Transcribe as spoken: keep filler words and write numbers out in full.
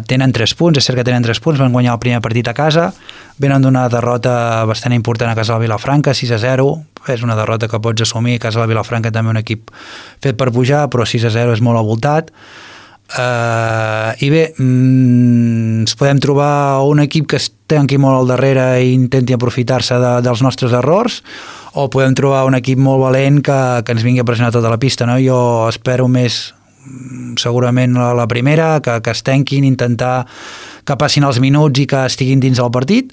tenen tres punts, és cert que tenen tres punts, van guanyar el primer partit a casa, venen d'una derrota bastant important a casa del Vilafranca, sis a zero, és una derrota que pots assumir, a casa del Vilafranca també un equip fet per pujar, però sis a zero és molt avoltat. Uh, i bé, mm, ens podem trobar un equip que es tanqui molt al darrere i intenti aprofitar-se de, dels nostres errors, o podem trobar un equip molt valent que, que ens vingui a pressionar tota la pista, no? Jo espero més segurament la, la primera, que, que es tanquin, intentar que passin els minuts i que estiguin dins del partit,